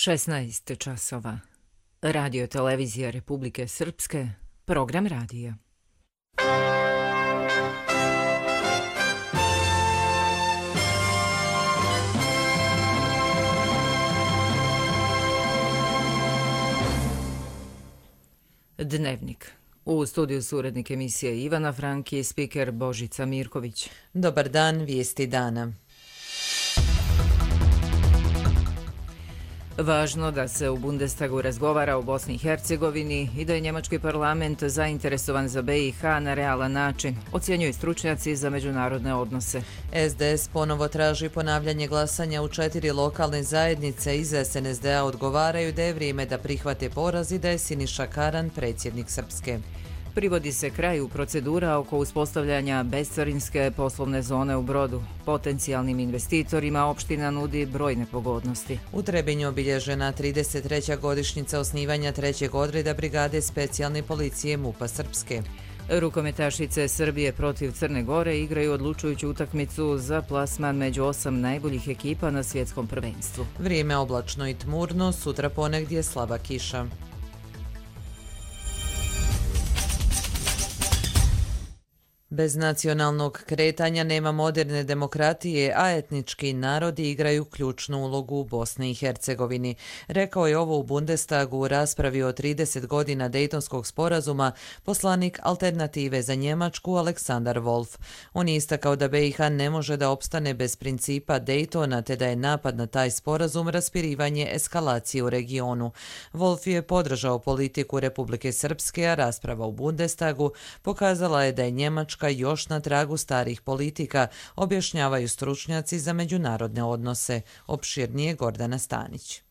16 časova. Radio televizija Republike Srpske, program radija. Dnevnik. U studiju su urednik emisije Ivana Franki i spiker Božica Mirković. Dobar dan, vijesti dana. Važno da se u Bundestagu razgovara o Bosni i Hercegovini i da je njemački parlament zainteresovan za BiH na realan način, ocjenjuju stručnjaci za međunarodne odnose. SDS ponovo traži ponavljanje glasanja u 4 lokalne zajednice. Iz SNSD-a odgovaraju da je vrijeme da prihvate poraz i da je Siniša Karan predsjednik Srpske. Privodi se kraju procedura oko uspostavljanja bescarinske poslovne zone u Brodu. Potencijalnim investitorima opština nudi brojne pogodnosti. U Trebinju obilježena 33. godišnjica osnivanja 3. odreda Brigade specijalne policije MUP-a Srpske. Rukometašice Srbije protiv Crne Gore igraju odlučujuću utakmicu za plasman među 8 najboljih ekipa na svjetskom prvenstvu. Vrijeme oblačno i tmurno, sutra ponegdje slaba kiša. Bez nacionalnog kretanja nema moderne demokratije, a etnički narodi igraju ključnu ulogu u Bosni i Hercegovini. Rekao je ovo u Bundestagu u raspravi o 30 godina Dejtonskog sporazuma poslanik Alternative za Njemačku Aleksandar Wolf. On je istakao da BiH ne može da opstane bez principa Dejtona, te da je napad na taj sporazum raspirivanje eskalacije u regionu. Wolf je podržao politiku Republike Srpske, a rasprava u Bundestagu pokazala je da je Njemačka još na tragu starih politika, objašnjavaju stručnjaci za međunarodne odnose. Opširnije Gordana Stanić.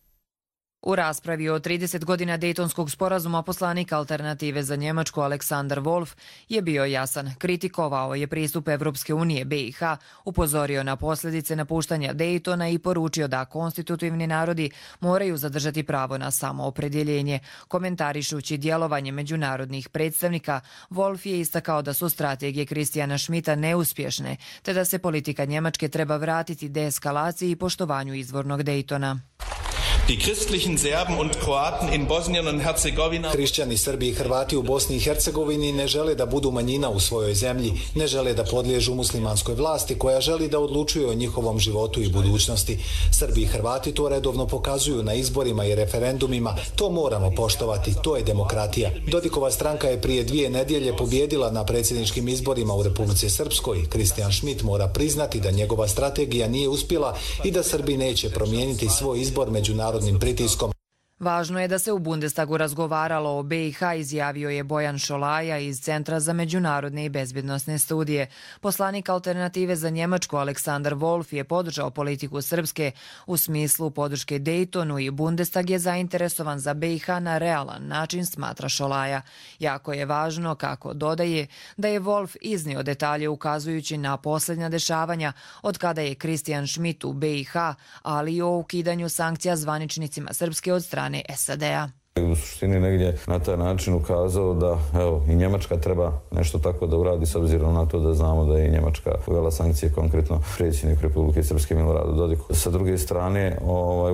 U raspravi o 30 godina Dejtonskog sporazuma poslanik Alternative za Njemačku Aleksandar Wolf je bio jasan. Kritikovao je pristup Evropske unije BiH, upozorio na posljedice napuštanja Dejtona i poručio da konstitutivni narodi moraju zadržati pravo na samoopredjeljenje. Komentarišući djelovanje međunarodnih predstavnika, Wolf je istakao da su strategije Kristijana Schmidta neuspješne, te da se politika Njemačke treba vratiti deeskalaciji i poštovanju izvornog Dejtona. Hrišćani, Srbi i Hrvati u Bosni i Hercegovini ne žele da budu manjina u svojoj zemlji, ne žele da podliježu muslimanskoj vlasti koja želi da odlučuje o njihovom životu i budućnosti. Srbi i Hrvati to redovno pokazuju na izborima i referendumima, to moramo poštovati, to je demokratija. Dodikova stranka je prije 2 nedjelje pobjedila na predsjedničkim izborima u Republici Srpskoj. Kristijan Schmidt mora priznati da njegova strategija nije uspjela i da Srbi neće promijeniti svoj izbor međunarodnim pritiskom. Važno je da se u Bundestagu razgovaralo o BiH, izjavio je Bojan Šolaja iz Centra za međunarodne i bezbjednosne studije. Poslanik Alternative za Njemačku Aleksandar Wolf je podržao politiku Srpske u smislu podrške Dejtonu i Bundestag je zainteresovan za BiH na realan način, smatra Šolaja. Jako je važno, kako dodaje, da je Wolf iznio detalje ukazujući na posljednja dešavanja od kada je Kristijan Schmidt u BiH, ali i o ukidanju sankcija zvaničnicima Srpske od strane SAD-a. U suštini negdje na taj način ukazao da i Njemačka treba nešto tako da uradi, s obzirom na to da znamo da je i Njemačka uvela sankcije, konkretno predsjednik Republike Srpske Miloradu Dodiku. Sa druge strane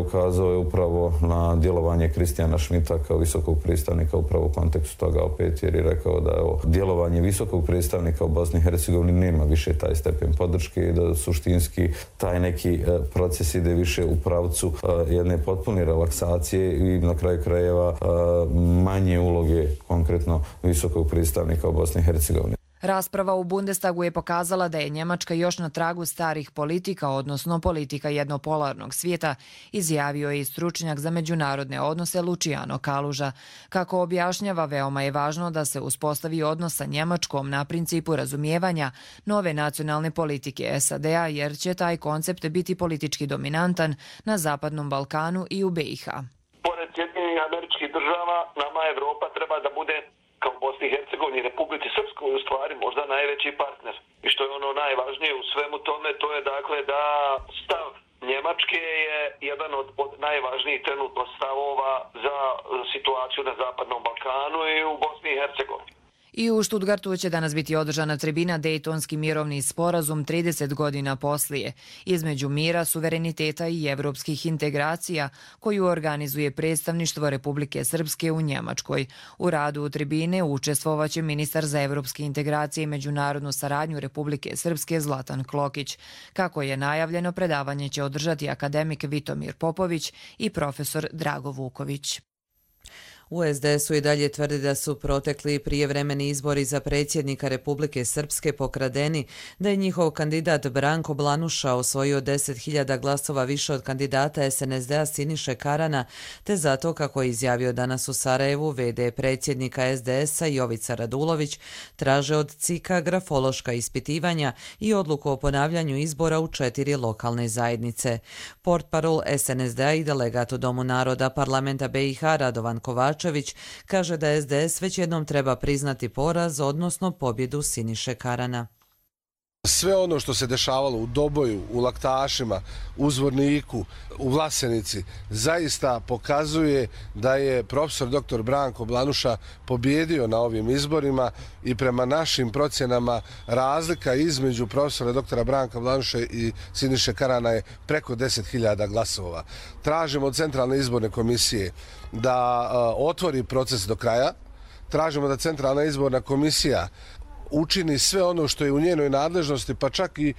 ukazao je upravo na djelovanje Kristijana Schmidta kao visokog predstavnika upravo u kontekstu toga opet, jer je rekao da djelovanje visokog predstavnika u Bosni i Hercegovini nema više taj stepen podrške i da suštinski taj neki proces ide više u pravcu jedne potpune relaksacije i na kraju krajeva manje uloge konkretno visokog predstavnika u Bosni i Hercegovini. Rasprava u Bundestagu je pokazala da je Njemačka još na tragu starih politika, odnosno politika jednopolarnog svijeta, izjavio je i stručnjak za međunarodne odnose Luciano Kaluža. Kako objašnjava, veoma je važno da se uspostavi odnos sa Njemačkom na principu razumijevanja nove nacionalne politike SAD-a, jer će taj koncept biti politički dominantan na Zapadnom Balkanu i u BiH. Pored Sjedinjenih Američkih Država, nama Evropa treba da bude kao Bosni i Hercegovini i Republici Srpskoj u stvari možda najveći partner. I što je ono najvažnije u svemu tome, to je dakle da stav Njemačke je jedan od najvažnijih trenutno stavova za situaciju na Zapadnom Balkanu i u Bosni i Hercegovini. I u Stuttgartu će danas biti održana tribina Dejtonski mirovni sporazum 30 godina poslije između mira, suvereniteta i evropskih integracija koju organizuje predstavništvo Republike Srpske u Njemačkoj. U radu tribine učestvovaće ministar za evropske integracije i međunarodnu saradnju Republike Srpske Zlatan Klokić. Kako je najavljeno, predavanje će održati akademik Vitomir Popović i profesor Drago Vuković. U SDS-u i dalje tvrdi da su protekli prijevremeni izbori za predsjednika Republike Srpske pokradeni, da je njihov kandidat Branko Blanuša osvojio 10.000 glasova više od kandidata SNSD-a Siniše Karana, te zato, kako je izjavio danas u Sarajevu v.d. predsjednika SDS-a Jovica Radulović, traže od CIK-a grafološka ispitivanja i odluku o ponavljanju izbora u 4 lokalne zajednice. Portparol SNSD-a i delegat u Domu naroda parlamenta BiH Radovan Kovačević kaže da SDS već jednom treba priznati poraz, odnosno pobjedu Siniše Karana. Sve ono što se dešavalo u Doboju, u Laktašima, u Zvorniku, u Vlasenici, zaista pokazuje da je profesor dr. Branko Blanuša pobjedio na ovim izborima i prema našim procjenama razlika između profesora dr. Branka Blanuše i Siniše Karana je preko 10.000 glasova. Tražimo od Centralne izborne komisije da otvori proces do kraja, tražimo da Centralna izborna komisija učini sve ono što je u njenoj nadležnosti, pa čak i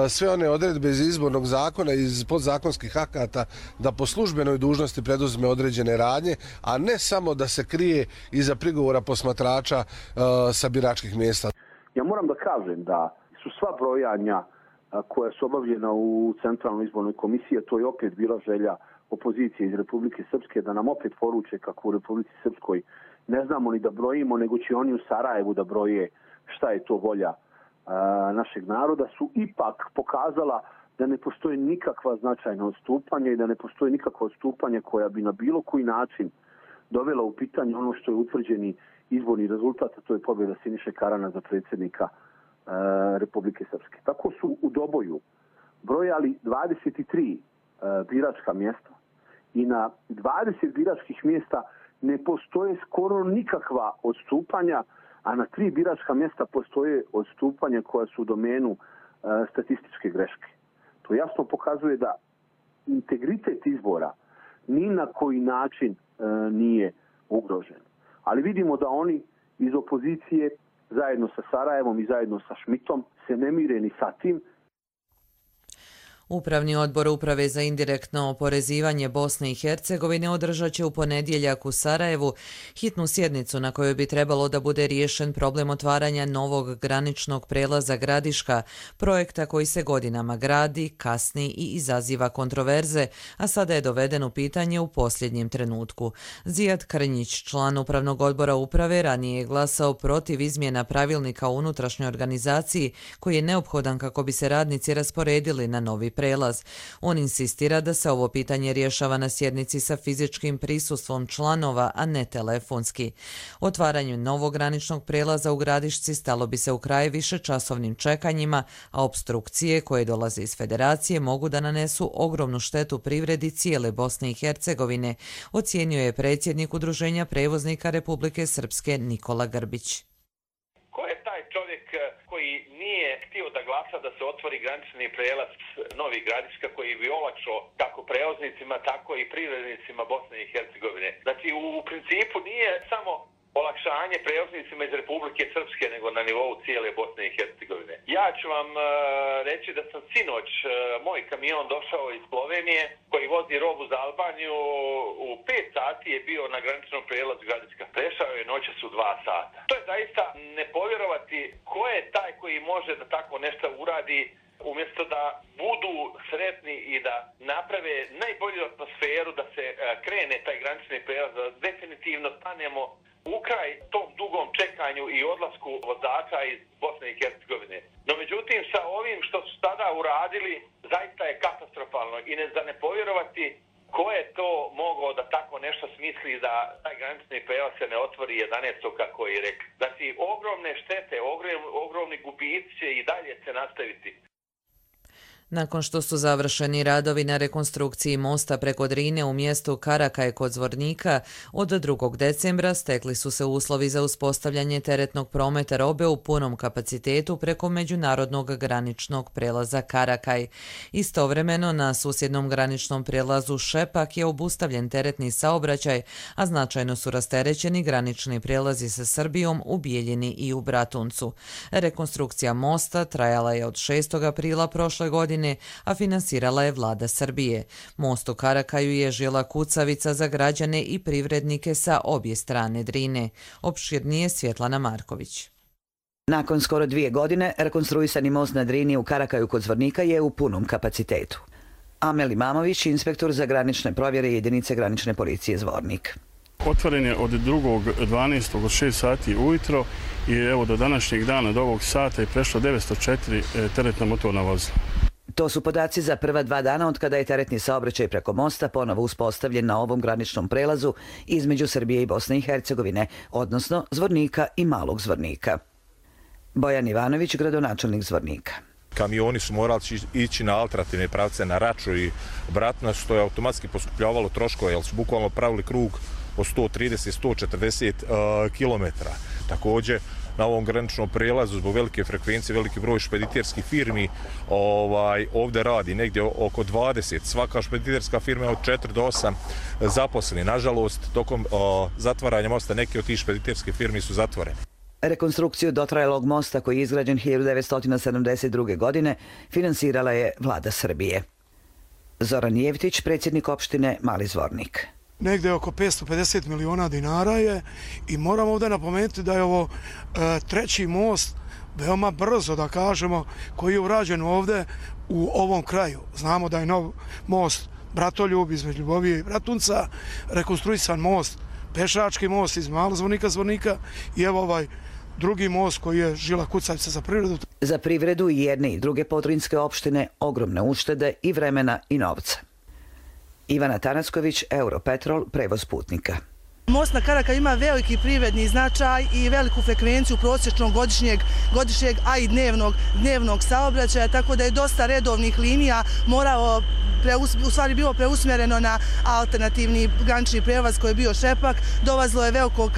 sve one odredbe iz izbornog zakona i iz podzakonskih akata, da po službenoj dužnosti preduzme određene radnje, a ne samo da se krije iza prigovora posmatrača sa biračkih mjesta. Ja moram da kažem da su sva brojanja koja su obavljena u Centralnoj izbornoj komisiji, to je opet bila želja opozicije iz Republike Srpske da nam opet poruče kako u Republici Srpskoj ne znamo ni da brojimo, nego će oni u Sarajevu da broje šta je to volja našeg naroda, su ipak pokazala da ne postoji nikakva značajna odstupanja i da ne postoji nikakva odstupanja koja bi na bilo koji način dovela u pitanje ono što je utvrđeni izborni rezultat, a to je pobjeda Siniše Karana za predsjednika Republike Srpske. Tako su u Doboju brojali 23 biračka mjesta i na 20 biračkih mjesta ne postoje skoro nikakva odstupanja, a na 3 biračka mjesta postoje odstupanja koja su u domenu statističke greške. To jasno pokazuje da integritet izbora ni na koji način nije ugrožen. Ali vidimo da oni iz opozicije zajedno sa Sarajevom i zajedno sa Šmitom se ne mire ni sa tim. Upravni odbor Uprave za indirektno oporezivanje Bosne i Hercegovine održat će u ponedjeljak u Sarajevu hitnu sjednicu na kojoj bi trebalo da bude riješen problem otvaranja novog graničnog prelaza Gradiška, projekta koji se godinama gradi, kasni i izaziva kontroverze, a sada je doveden u pitanje u posljednjem trenutku. Zijad Krnjić, član Upravnog odbora Uprave, ranije je glasao protiv izmjena pravilnika o unutrašnjoj organizaciji koji je neophodan kako bi se radnici rasporedili na novi prelaz. On insistira da se ovo pitanje rješava na sjednici sa fizičkim prisustvom članova, a ne telefonski. Otvaranju novog graničnog prelaza u Gradišci stalo bi se u kraj višečasovnim čekanjima, a opstrukcije koje dolaze iz federacije mogu da nanesu ogromnu štetu privredi cijele Bosne i Hercegovine, ocijenio je predsjednik Udruženja prevoznika Republike Srpske Nikola Grbić. Htio da glasa da se otvori granični prelaz Novi Gradiška koji bi olakšao kako prevoznicima, tako i privrednicima Bosne i Hercegovine. Znači, u principu nije samo olakšanje prevoznicima iz Republike Srpske, nego na nivou cijele Bosne i Hercegovine. Ja ću vam reći da sam sinoć, moj kamion došao iz Slovenije koji vozi robu za Albaniju, u 5 sati je bio na graničnom prelazu Gradiška. Prešao je noćas u 2 sata. To je zaista ne povjerovati ko je taj koji može da tako nešto uradi, umjesto da budu sretni i da naprave najbolju atmosferu da se krene taj granični prelaz, da definitivno stanemo u kraj tom dugom čekanju i odlasku vozača iz Bosne i Hercegovine. No međutim, sa ovim što su tada uradili, zaista je katastrofalno i ne povjerovati ko je to mogao da tako nešto smisli da taj granični prelaz se ne otvori 11. kako je rekao. Znači, ogromne štete, ogromni gubici će i dalje se nastaviti. Nakon što su završeni radovi na rekonstrukciji mosta preko Drine u mjestu Karakaj kod Zvornika, od 2. decembra stekli su se uslovi za uspostavljanje teretnog prometa robe u punom kapacitetu preko međunarodnog graničnog prelaza Karakaj. Istovremeno na susjednom graničnom prijelazu Šepak je obustavljen teretni saobraćaj, a značajno su rasterećeni granični prijelazi sa Srbijom u Bijeljini i u Bratuncu. Rekonstrukcija mosta trajala je od 6. aprila prošle godine, a finansirala je vlada Srbije. Most u Karakaju je žila kucavica za građane i privrednike sa obje strane Drine. Opširnije Svjetlana Marković. Nakon skoro 2 godine, rekonstruisani most na Drini u Karakaju kod Zvornika je u punom kapacitetu. Amel Imamović, inspektor za granične provjere jedinice granične policije Zvornik. Otvoren je od 2.12. od 6 sati ujutro i evo do današnjeg dana, do ovog sata je prešlo 904 teretna motorna vozila. To su podaci za prva 2 dana od kada je teretni saobraćaj preko mosta ponovo uspostavljen na ovom graničnom prelazu između Srbije i Bosne i Hercegovine, odnosno Zvornika i Malog Zvornika. Bojan Ivanović, gradonačelnik Zvornika. Kamioni su morali ići na alternativne pravce na Raču i Bratunac, što je automatski poskupljavalo troškove, jer su bukvalno pravili krug od 130-140 km. Također, na ovom graničnom prelazu zbog velike frekvencije, veliki broj špediterskih firmi ovdje radi negdje oko 20. Svaka špediterska firma je od 4 do 8 zaposleni. Nažalost, tokom zatvaranja mosta neke od tih špediterskih firmi su zatvorene. Rekonstrukciju dotrajalog mosta koji je izgrađen 1972. godine finansirala je vlada Srbije. Zoran Jevtić, predsjednik opštine Mali Zvornik. Negde oko 550 miliona dinara je i moram ovdje napomenuti da je ovo treći most, veoma brzo da kažemo, koji je urađen ovdje u ovom kraju. Znamo da je nov most Bratoljub između Ljubovije i Bratunca, rekonstruisan most, pešački most iz Malog Zvornika i evo ovaj drugi most koji je žila kucavica za privredu. Za privredu i jedne i druge podrinjske opštine ogromne uštede i vremena i novca. Ivana Tanacković, Europetrol, prevoz putnika. Most na Karakaju ima veliki privredni značaj i veliku frekvenciju prosječnog godišnjeg, a i dnevnog saobraćaja, tako da je dosta redovnih linija bilo preusmjereno na alternativni granični prevoz koji je bio Šepak. Dolazilo je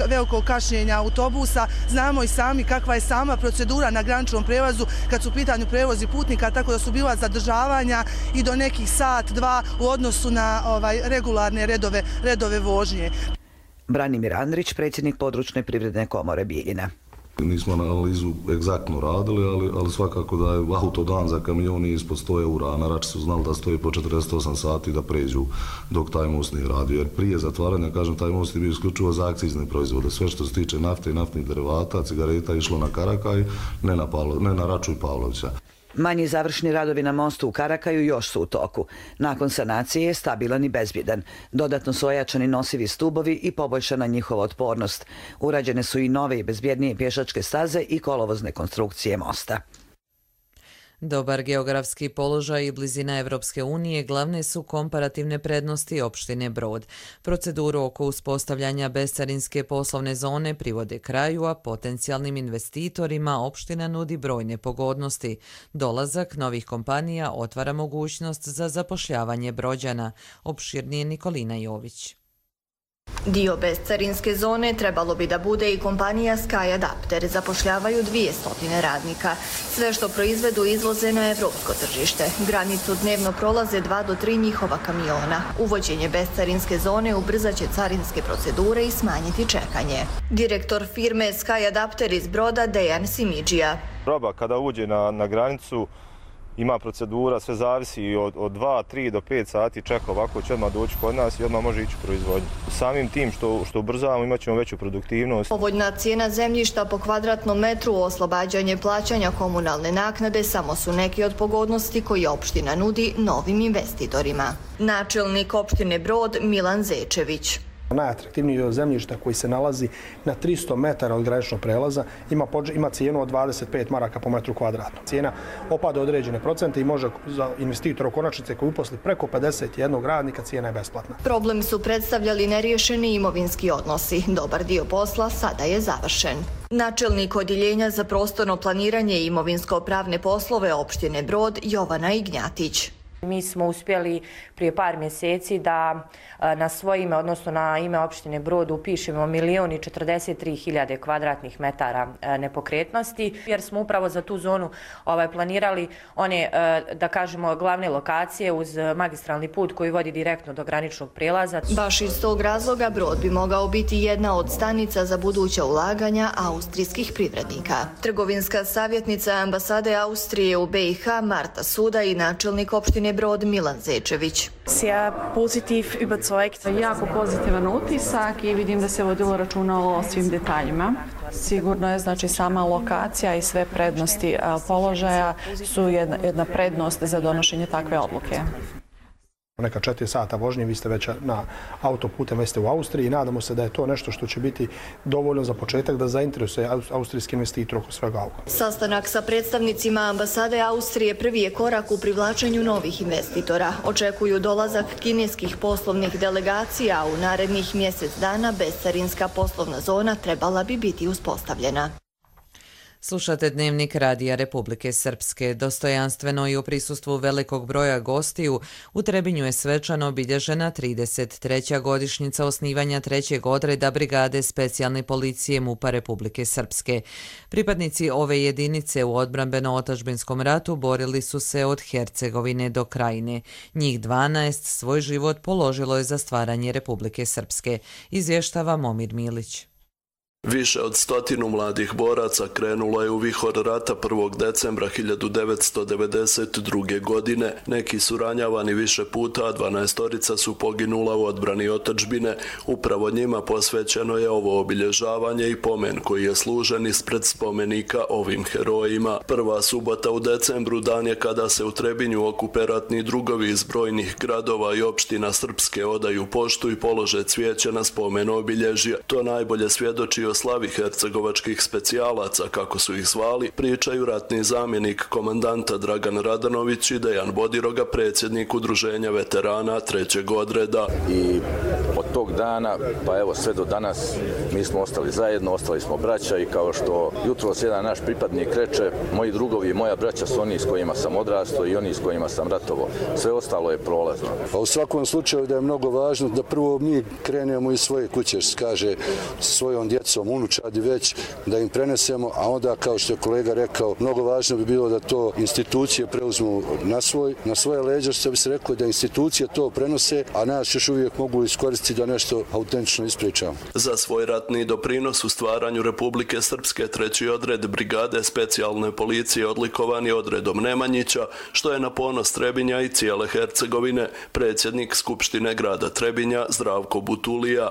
veliko kašnjenja autobusa. Znamo i sami kakva je sama procedura na graničnom prevozu kad su u pitanju prevozi putnika, tako da su bila zadržavanja i do nekih sat, 2 u odnosu na regularne redove vožnje. Branimir Andrić, predsjednik područne privredne komore Bijeljina. Nismo analizu egzaktno radili, ali svakako da je autodan za kamioni ispod 100 eura, a na Rači su znali da stoji po 48 sati da pređu dok taj most nije radio. Jer prije zatvaranja, kažem, taj most je bio isključivo za akcizne proizvode. Sve što se tiče nafte i naftnih derivata, cigareta išlo na Karakaj, ne na Raču i Pavlovića. Manji završni radovi na mostu u Karakaju još su u toku. Nakon sanacije je stabilan i bezbjedan. Dodatno su ojačani nosivi stubovi i poboljšana njihova otpornost. Urađene su i nove i bezbjednije pješačke staze i kolovozne konstrukcije mosta. Dobar geografski položaj i blizina Evropske unije glavne su komparativne prednosti opštine Brod. Proceduru oko uspostavljanja bescarinske poslovne zone privode kraju, a potencijalnim investitorima opština nudi brojne pogodnosti. Dolazak novih kompanija otvara mogućnost za zapošljavanje Brođana. Opširnije Nikolina Jović. Dio bescarinske zone trebalo bi da bude i kompanija Sky Adapter. Zapošljavaju 200 radnika. Sve što proizvedu izvoze na evropsko tržište. Granicu dnevno prolaze 2 do 3 njihova kamiona. Uvođenje bescarinske zone ubrzaće carinske procedure i smanjiti čekanje. Direktor firme Sky Adapter iz Broda Dejan Simidžija. Roba kada uđe na granicu ima procedura, sve zavisi od 2, 3 do 5 sati čeka, ovako će odmah doći kod nas i odmah može ići u proizvodnju. Samim tim što ubrzavamo imat ćemo veću produktivnost. Povoljna cijena zemljišta po kvadratnom metru, oslobađanje plaćanja komunalne naknade samo su neki od pogodnosti koje opština nudi novim investitorima. Načelnik opštine Brod Milan Zečević. Najatraktivniji dio zemljišta koji se nalazi na 300 metara od graničnog prelaza ima cijenu od 25 maraka po metru kvadratnom. Cijena opada određene procente i može za investitora u konačnici koji uposli preko 51 radnika cijena je besplatna. Problem su predstavljali neriješeni imovinski odnosi. Dobar dio posla sada je završen. Načelnik Odjeljenja za prostorno planiranje i imovinsko-pravne poslove opštine Brod Jovana Ignjatić. Mi smo uspjeli prije par mjeseci da na svoje ime, odnosno na ime opštine Brod, upišemo 1.043.000 kvadratnih metara nepokretnosti, jer smo upravo za tu zonu planirali one, da kažemo, glavne lokacije uz magistralni put koji vodi direktno do graničnog prijelaza. Baš iz tog razloga Brod bi mogao biti jedna od stanica za buduća ulaganja austrijskih privrednika. Trgovinska savjetnica ambasade Austrije u BiH Marta Suda i načelnik opštine Brod Milan Zečević. Jako pozitivan utisak i vidim da se vodilo računa o svim detaljima. Sigurno je, znači, sama lokacija i sve prednosti položaja su jedna prednost za donošenje takve odluke. Neka 4 sata vožnje, vi ste već na autoputem, već ste u Austriji i nadamo se da je to nešto što će biti dovoljno za početak da zainteresuje austrijski investitor oko svega ovoga. Sastanak sa predstavnicima ambasade Austrije prvi je korak u privlačenju novih investitora. Očekuju dolazak kineskih poslovnih delegacija, a u narednih mjesec dana bescarinska poslovna zona trebala bi biti uspostavljena. Slušate Dnevnik Radija Republike Srpske. Dostojanstveno i u prisustvu velikog broja gostiju u Trebinju je svečano obilježena 33. godišnjica osnivanja 3. odreda Brigade specijalne policije MUP-a Republike Srpske. Pripadnici ove jedinice u odbrambeno-otadžbinskom ratu borili su se od Hercegovine do Krajine. Njih 12 svoj život položilo je za stvaranje Republike Srpske, izvještava Momir Milić. Više od 100 mladih boraca krenulo je u vihor rata 1. decembra 1992. godine. Neki su ranjavani više puta, a 12 su poginula u odbrani otadžbine. Upravo njima posvećeno je ovo obilježavanje i pomen koji je služen ispred spomenika ovim herojima. Prva subota u decembru dan je kada se u Trebinju okupe ratni drugovi iz brojnih gradova i opština Srpske odaju poštu i polože cvijeće na spomen obilježja. To najbolje svjedoči o slavi hercegovačkih specijalaca, kako su ih zvali, pričaju ratni zamjenik komandanta Dragan Radanović i Dejan Bodiroga, predsjednik udruženja veterana 3. odreda. I od tog dana, pa evo sve do danas, mi smo ostali zajedno, ostali smo braća i kao što jutros jedan naš pripadnik reče, moji drugovi i moja braća su oni s kojima sam odrastao i oni s kojima sam ratovao. Sve ostalo je prolazno. A u svakom slučaju da je mnogo važno da prvo mi krenemo iz svoje kuće, kaže, svojom djecom, unučadi već, da im prenesemo, a onda, kao što je kolega rekao, mnogo važno bi bilo da to institucije preuzmu na svoje leđa, što bi se reklo, da institucije to prenose, a nas još uvijek mogu iskoristiti da nešto autentično ispričamo. Za svoj ratni doprinos u stvaranju Republike Srpske 3. odred Brigade specijalne policije odlikovan je odredom Nemanjića, što je na ponos Trebinja i cijele Hercegovine, predsjednik Skupštine grada Trebinja Zdravko Butulija.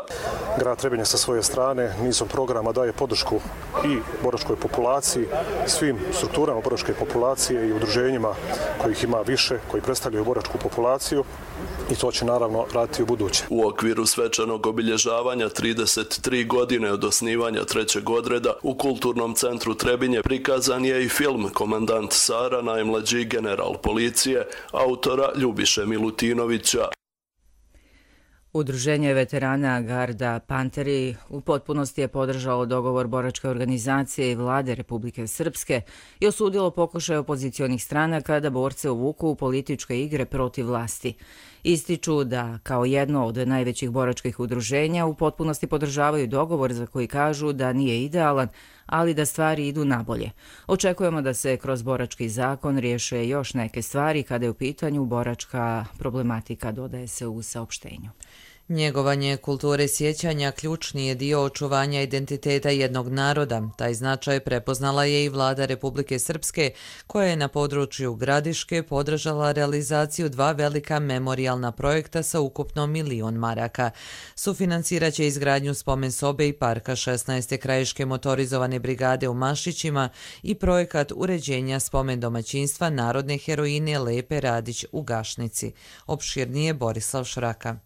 Grad Trebinja sa svoje strane nizom programa daje podršku i boračkoj populaciji, svim strukturama boračke populacije i udruženjima kojih ima više, koji predstavljaju boračku populaciju, i to će naravno raditi u buduće. U okviru svečanog obilježavanja 33 godine od osnivanja 3. odreda u Kulturnom centru Trebinje prikazan je i film Komandant Sara, najmlađi general policije, autora Ljubiše Milutinovića. Udruženje veterana Garda Panteri u potpunosti je podržalo dogovor boračke organizacije i vlade Republike Srpske i osudilo pokušaj opozicionih stranaka da borce uvuku u političke igre protiv vlasti. Ističu da, kao jedno od najvećih boračkih udruženja, u potpunosti podržavaju dogovor za koji kažu da nije idealan, ali da stvari idu nabolje. Očekujemo da se kroz borački zakon riješe još neke stvari kada je u pitanju boračka problematika, dodaje se u saopštenju. Njegovanje kulture sjećanja ključni je dio očuvanja identiteta jednog naroda. Taj značaj prepoznala je i vlada Republike Srpske, koja je na području Gradiške podržala realizaciju 2 velika memorijalna projekta sa ukupno 1 milion maraka. Sufinancirat će izgradnju spomen sobe i parka 16. krajiške motorizovane brigade u Mašićima i projekat uređenja spomen domaćinstva narodne heroine Lepe Radić u Gašnici. Opširnije Borislav Šraka.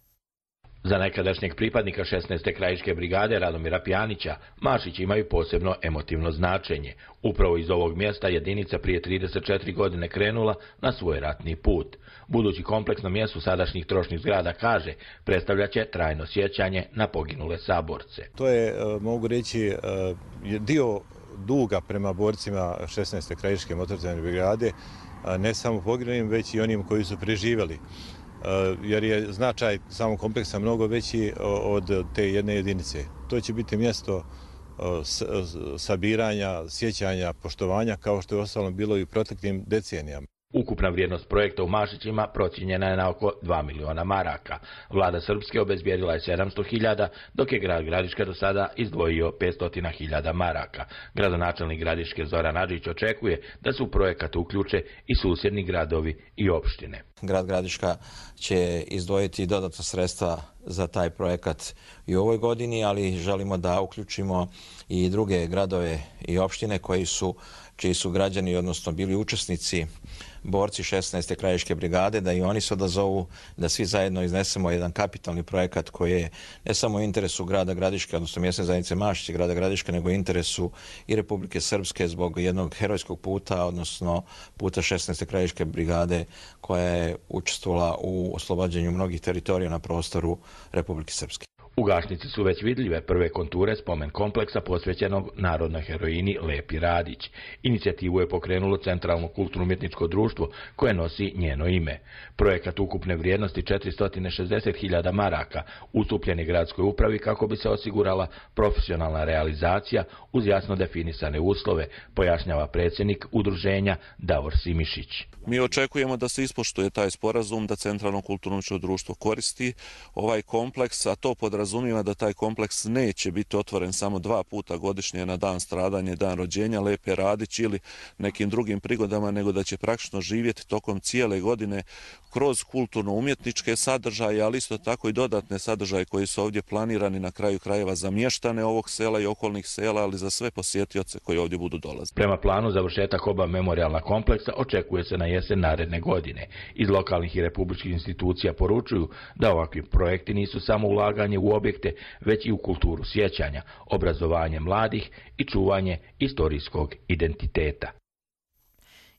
Za nekadašnjeg pripadnika 16. krajiške brigade Radomira Pjanića, Mašići imaju posebno emotivno značenje. Upravo iz ovog mjesta jedinica prije 34 godine krenula na svoj ratni put. Budući kompleks na mjestu sadašnjih trošnih zgrada, kaže, predstavljaće trajno sjećanje na poginule saborce. To je, mogu reći, dio duga prema borcima 16. krajiške motorizacione brigade, ne samo poginulim, već i onim koji su preživjeli. Jer je značaj samog kompleksa mnogo veći od te jedne jedinice. To će biti mjesto sabiranja, sjećanja, poštovanja, kao što je ostalo bilo i u proteklim decenijama. Ukupna vrijednost projekta u Mašićima procijenjena je na oko 2 miliona maraka. Vlada Srpske obezbijedila je 700.000, dok je grad Gradiška do sada izdvojio 500.000 maraka. Gradonačelnik Gradiške Zoran Adžić očekuje da se u projekat uključe i susjedni gradovi i opštine. Grad Gradiška će izdvojiti dodatna sredstva za taj projekat i u ovoj godini, ali želimo da uključimo i druge gradove i opštine čiji su građani, odnosno bili učesnici, borci 16. krajiške brigade, da i oni se odazovu, da svi zajedno iznesemo jedan kapitalni projekat koji je ne samo u interesu grada Gradiške, odnosno mjesne zajednice Mašić i grada Gradiške, nego u interesu i Republike Srpske zbog jednog herojskog puta, odnosno puta 16. krajiške brigade koja je učestvovala u oslobađanju mnogih teritorija na prostoru Republike Srpske. U Gašnici su već vidljive prve konture spomen kompleksa posvećenog narodnoj heroini Lepi Radić. Inicijativu je pokrenulo Centralno kulturno-umjetničko društvo koje nosi njeno ime. Projekat ukupne vrijednosti 460.000 maraka ustupljen je gradskoj upravi kako bi se osigurala profesionalna realizacija uz jasno definisane uslove, pojašnjava predsjednik udruženja Davor Simišić. Mi očekujemo da se ispoštuje taj sporazum, da Centralno kulturno-umjetničko društvo koristi ovaj kompleks, a to podrazumijeva da taj kompleks neće biti otvoren samo 2 puta godišnje na dan stradanja i dan rođenja Lepe Radić ili nekim drugim prigodama, nego da će praktično živjeti tokom cijele godine kroz kulturno-umjetničke sadržaje, ali isto tako i dodatne sadržaje koji su ovdje planirani na kraju krajeva za mještane ovog sela i okolnih sela, ali za sve posjetioce koji ovdje budu dolaziti. Prema planu završetak oba memorijalna kompleksa očekuje se na jesen naredne godine. Iz lokalnih i republičkih institucija poručuju da ovakvi projekti nisu samo ulaganje u objekte, već i u kulturu sjećanja, obrazovanje mladih i čuvanje istorijskog identiteta.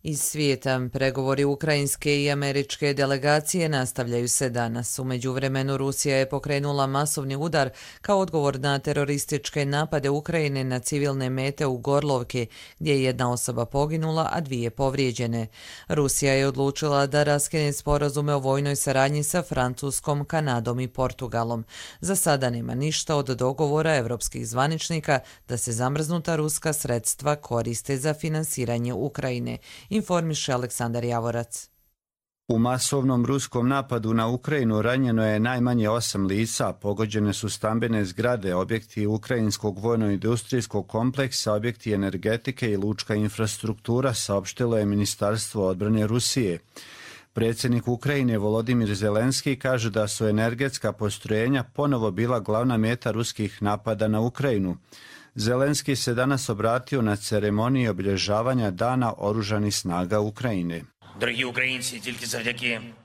Iz svijeta pregovori ukrajinske i američke delegacije nastavljaju se danas. U međuvremenu Rusija je pokrenula masovni udar kao odgovor na terorističke napade Ukrajine na civilne mete u Gorlovki, gdje je 1 osoba poginula, a 2 povrijeđene. Rusija je odlučila da raskine sporazume o vojnoj saradnji sa Francuskom, Kanadom i Portugalom. Za sada nema ništa od dogovora evropskih zvaničnika da se zamrznuta ruska sredstva koriste za finansiranje Ukrajine, informiše Aleksandar Javorac. U masovnom ruskom napadu na Ukrajinu ranjeno je najmanje 8 lica, pogođene su stambene zgrade, objekti ukrajinskog vojno-industrijskog kompleksa, objekti energetike i lučka infrastruktura, saopštilo je Ministarstvo odbrane Rusije. Predsjednik Ukrajine Volodimir Zelenski kaže da su energetska postrojenja ponovo bila glavna meta ruskih napada na Ukrajinu. Zelenski se danas obratio na ceremoniji obilježavanja Dana oružanih snaga Ukrajine.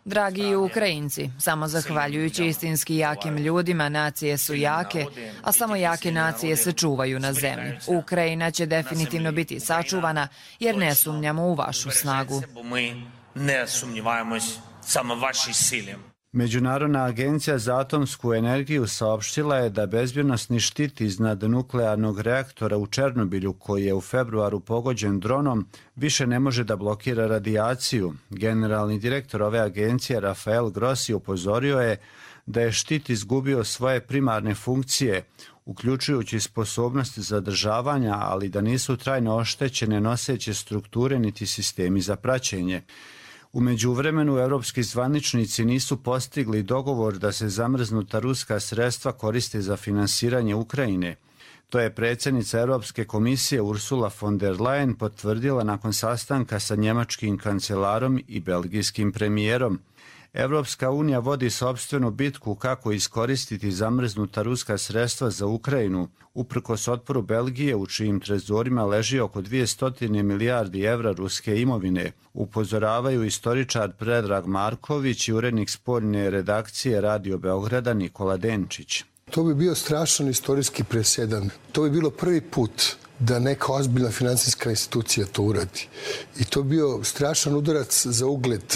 Dragi Ukrajinci, samo zahvaljujući istinski jakim ljudima nacije su jake, a samo jake nacije se čuvaju na zemlji. Ukrajina će definitivno biti sačuvana jer ne sumnjamo u vašu snagu. Međunarodna agencija za atomsku energiju saopštila je da bezbjednosni štit iznad nuklearnog reaktora u Černobilju, koji je u februaru pogođen dronom, više ne može da blokira radijaciju. Generalni direktor ove agencije Rafael Grossi upozorio je da je štit izgubio svoje primarne funkcije, uključujući sposobnost zadržavanja, ali da nisu trajno oštećene noseće strukture niti sistemi za praćenje. U međuvremenu evropski zvaničnici nisu postigli dogovor da se zamrznuta ruska sredstva koriste za finansiranje Ukrajine. To je predsjednica Europske komisije Ursula von der Leyen potvrdila nakon sastanka sa njemačkim kancelarom i belgijskim premijerom. Evropska unija vodi sopstvenu bitku kako iskoristiti zamrznuta ruska sredstva za Ukrajinu, uprkos otporu Belgije u čijim trezorima leži oko 200 milijardi evra ruske imovine, upozoravaju istoričar Predrag Marković i urednik spoljne redakcije Radio Beograda Nikola Denčić. To bi bio strašan istorijski presedan. To bi bilo prvi put da neka ozbiljna finansijska institucija to uradi. I to bi bio strašan udarac za ugled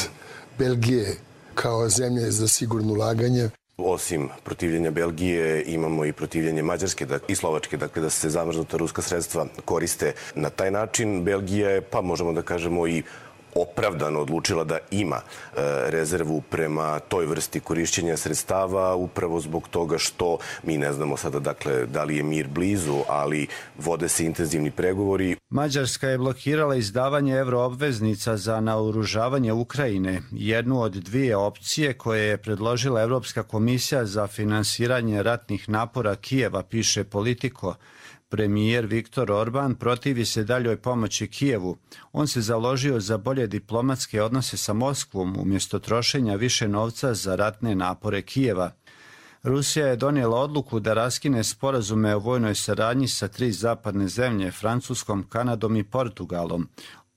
Belgije kao zemlje za sigurno ulaganje. Osim protivljenja Belgije imamo i protivljenje Mađarske i Slovačke, dakle da se zamrznuta ruska sredstva koriste na taj način. Belgija je, pa možemo da kažemo, i opravdano odlučila da ima rezervu prema toj vrsti korišćenja sredstava upravo zbog toga što mi ne znamo sada dakle da li je mir blizu, ali vode se intenzivni pregovori. Mađarska je blokirala izdavanje euroobveznica za naoružavanje Ukrajine, jednu od dvije opcije koje je predložila Evropska komisija za finansiranje ratnih napora Kijeva, piše Politico. Premijer Viktor Orban protivi se daljoj pomoći Kijevu. On se založio za bolje diplomatske odnose sa Moskvom umjesto trošenja više novca za ratne napore Kijeva. Rusija je donijela odluku da raskine sporazume o vojnoj saradnji sa 3 zapadne zemlje, Francuskom, Kanadom i Portugalom.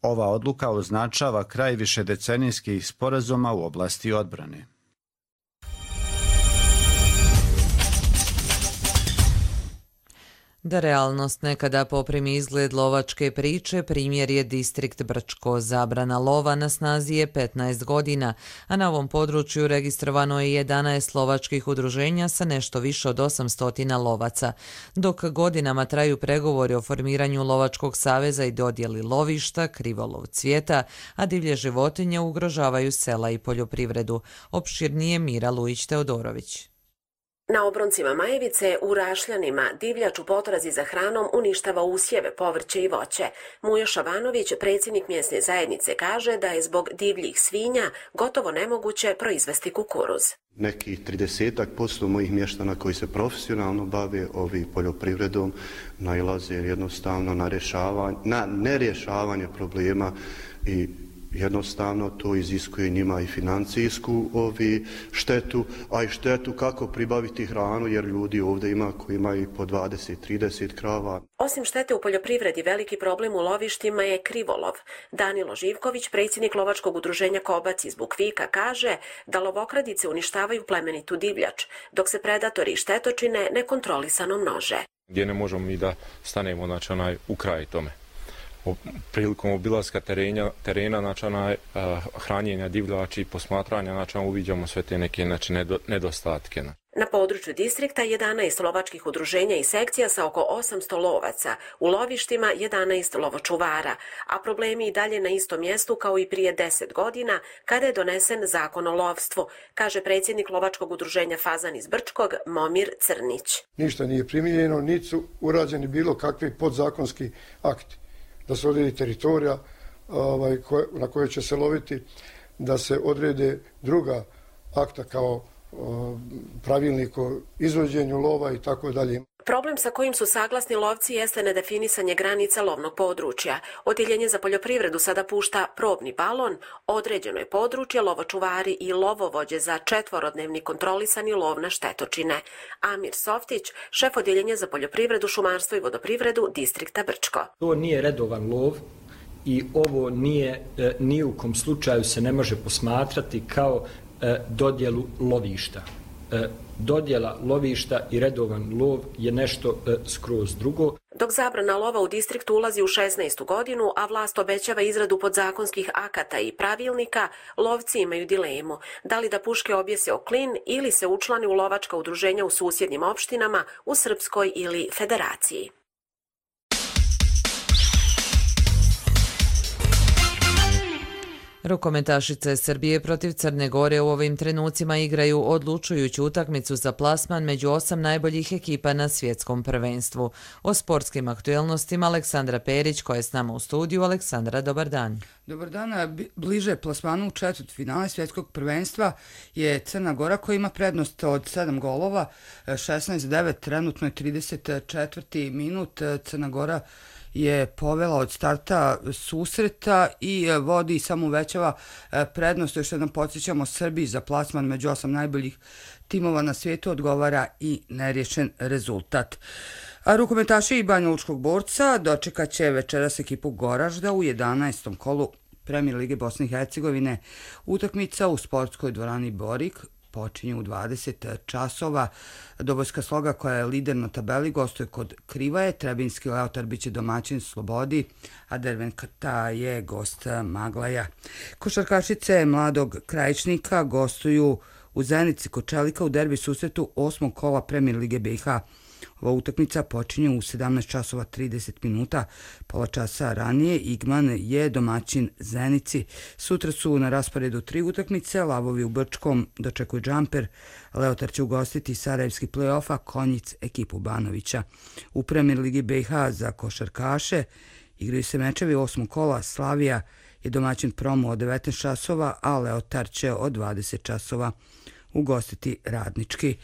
Ova odluka označava kraj višedecenijskih sporazuma u oblasti odbrane. Da realnost nekada poprimi izgled lovačke priče, primjer je distrikt Brčko. Zabrana lova na snazi je 15 godina, a na ovom području registrovano je 11 lovačkih udruženja sa nešto više od 800 lovaca. Dok godinama traju pregovori o formiranju lovačkog saveza i dodjeli lovišta, krivolov cvijeta, a divlje životinje ugrožavaju sela i poljoprivredu. Opširnije Mira Lujić-Teodorović. Na obroncima Majevice, u Rašljanima, divljač u potrazi za hranom uništava usjeve, povrće i voće. Mujo Šavanović, predsjednik mjesne zajednice, kaže da je zbog divljih svinja gotovo nemoguće proizvesti kukuruz. Nekih 30% mojih mještana koji se profesionalno bave poljoprivredom nailaze jednostavno na nerješavanje problema i jednostavno to iziskuje njima i financijsku štetu, a i štetu kako pribaviti hranu, jer ljudi ovdje ima koji imaju po 20-30 krava. Osim štete u poljoprivredi, veliki problem u lovištima je krivolov. Danilo Živković, predsjednik lovačkog udruženja Kobac iz Bukvika, kaže da lovokradice uništavaju plemenitu divljač, dok se predatori i štetočine nekontrolisano množe. Gdje ne možemo mi da stanemo u kraj tome. Prilikom obilaska terena, hranjenja divljači i posmatranja, uviđamo sve te neke nedostatke. Na području distrikta 11 lovačkih udruženja i sekcija sa oko 800 lovaca, u lovištima 11 lovočuvara, a problemi i dalje na istom mjestu kao i prije 10 godina kada je donesen zakon o lovstvu, kaže predsjednik lovačkog udruženja Fazan iz Brčkog Momir Crnić. Ništa nije primijenjeno, niti su urađeni bilo kakvi podzakonski akti. Da se odredi teritorija na kojoj će se loviti, da se odrede druga akta kao pravilnik o izvođenju lova i tako dalje. Problem sa kojim su saglasni lovci jeste nedefinisanje granica lovnog područja. Odjeljenje za poljoprivredu sada pušta probni balon, određeno je područje, lovočuvari i lovovođe za 4-dnevni kontrolisani lov na štetočine. Amir Softić, šef odjeljenja za poljoprivredu, šumarstvo i vodoprivredu distrikta Brčko. To nije redovan lov i ovo nije, ni u kom slučaju se ne može posmatrati kao dodjelu lovišta. Dodjela lovišta i redovan lov je nešto skroz drugo. Dok zabrana lova u distriktu ulazi u 16. godinu, a vlast obećava izradu podzakonskih akata i pravilnika, lovci imaju dilemu. Da li da puške objese o klin ili se učlani u lovačka udruženja u susjednim opštinama, u Srpskoj ili Federaciji. Rukometašice Srbije protiv Crne Gore u ovim trenucima igraju odlučujuću utakmicu za plasman među 8 najboljih ekipa na svjetskom prvenstvu. O sportskim aktuelnostima Aleksandra Perić, koja je s nama u studiju. Aleksandra, dobar dan. Dobar dan. Bliže plasmanu u četvrtfinale svjetskog prvenstva je Crna Gora, koja ima prednost od 7 golova, 16-9, trenutno je 34. minut. Crna Gora je povela od starta susreta i vodi i samo uvećava prednost. Još jednom podsjećamo, Srbiji za plasman među 8 najboljih timova na svijetu odgovara i neriješen rezultat. A rukometaši i Banja Lučkog Borca dočekat će večeras ekipu Goražda u 11. kolu Premijer Lige Bosne i Hercegovine. Utakmica u sportskoj dvorani Borik počinje u 20 časova. Dobojska Sloga, koja je lider na tabeli, gostuje kod Krivaje. Trebinski Leotar biće domaćin Slobodi, a Derventa je gost Maglaja. Košarkašice Mladog Krajišnika gostuju u Zenici kod Čelika u derbi susretu 8. kola Premijer Lige BiH. Ova utakmica počinje u 17 časova 30 minuta. Pola časa ranije Igman je domaćin Zenici. Sutra su na rasporedu 3 utakmice. Lavovi u Brčkom dočekuju Džamper. Leotar će ugostiti Sarajevski play-off, a Konjic ekipu Banovića. U Premijer Ligi BiH za košarkaše igraju se mečevi 8. kola. Slavija je domaćin Promu od 19 časova, a Leotar će od 20 časova ugostiti Radnički.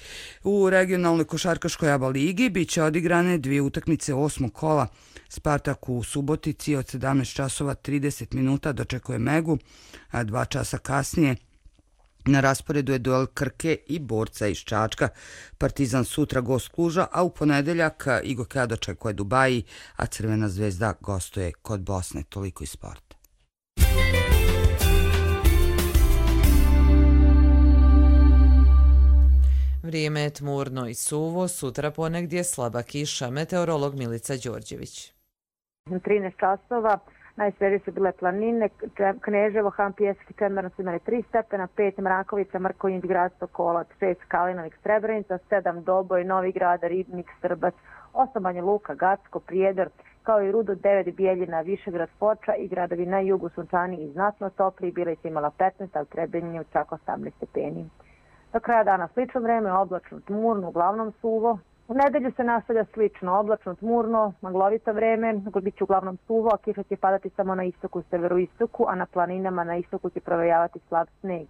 U regionalnoj košarkaškoj ABA ligi bit će odigrane 2 utakmice 8. kola. Spartak u Subotici od 17 časova 30 minuta dočekuje Megu, a 2 časa kasnije na rasporedu je duel Krke i Borca iz Čačka. Partizan sutra gost Kluža, a u ponedeljak Igokea dočekuje Dubaji, a Crvena zvezda gostuje kod Bosne. Toliko iz sporta. Vrijeme je tmurno i suvo, sutra ponegdje slaba kiša. Meteorolog Milica Đorđević. 13 časova, najsvežije su bile planine, Kneževo, Han, Pjesak i Čemerno su imali 3 stepena, 5 Mrakovica, Mrkonjić, Grad Stokolac, 6 Kalinovik, Srebrenica, 7 Doboj, Novi Grad, Ribnik, Strbac, 8 Banja Luka, Gacko, Prijedor, kao i Rudo, 9 Bijeljina, Višegrad, Foča i gradovi na jugu sunčani i znatno topli. Bilica imala 15, a u Trebinju čak 18 stepeni. Do kraja dana slično vreme, oblačno, tmurno, uglavnom suvo. U nedelju se nastavlja slično, oblačno, tmurno, maglovito vreme, bit će uglavnom suvo, a kiša će padati samo na istoku i severoistoku, a na planinama na istoku će provejavati slab sneg.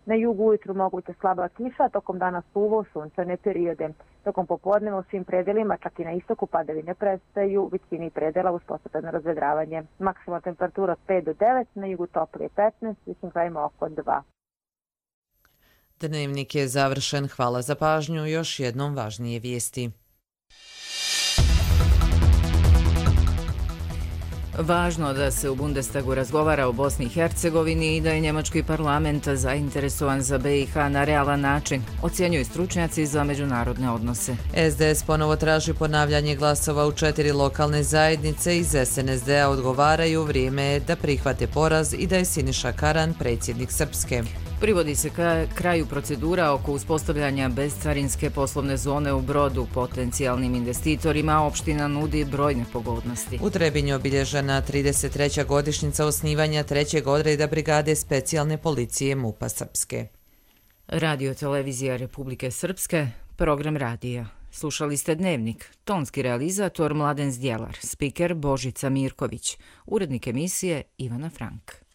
Na jugu ujutru moguća slaba kiša, a tokom dana suvo, sunčane periode. Tokom popodneva u svim predelima, čak i na istoku, padavine prestaju, u većini predela uz postepeno razvedravanje. Maksimalna temperatura od 5 do 9, na jugu toplije 15, višim krajima oko 2. Dnevnik je završen. Hvala za pažnju. Još jednom važnije vijesti. Važno da se u Bundestagu razgovara o Bosni i Hercegovini i da je njemački parlament zainteresovan za BiH na realan način, ocjenjuju stručnjaci za međunarodne odnose. SDS ponovo traži ponavljanje glasova u 4 lokalne zajednice. Iz SNSD-a odgovaraju vrijeme je da prihvate poraz i da je Siniša Karan predsjednik Srpske. Privodi se kraju procedura oko uspostavljanja bezcarinske poslovne zone u Brodu. Potencijalnim investitorima opština nudi brojne pogodnosti. U Trebinju obilježena 33. godišnjica osnivanja 3. odreda brigade specijalne policije MUP-a Srpske. Radio televizija Republike Srpske, program radija. Slušali ste Dnevnik, tonski realizator Mladen Zdjelar, spiker Božica Mirković, urednik emisije Ivana Frank.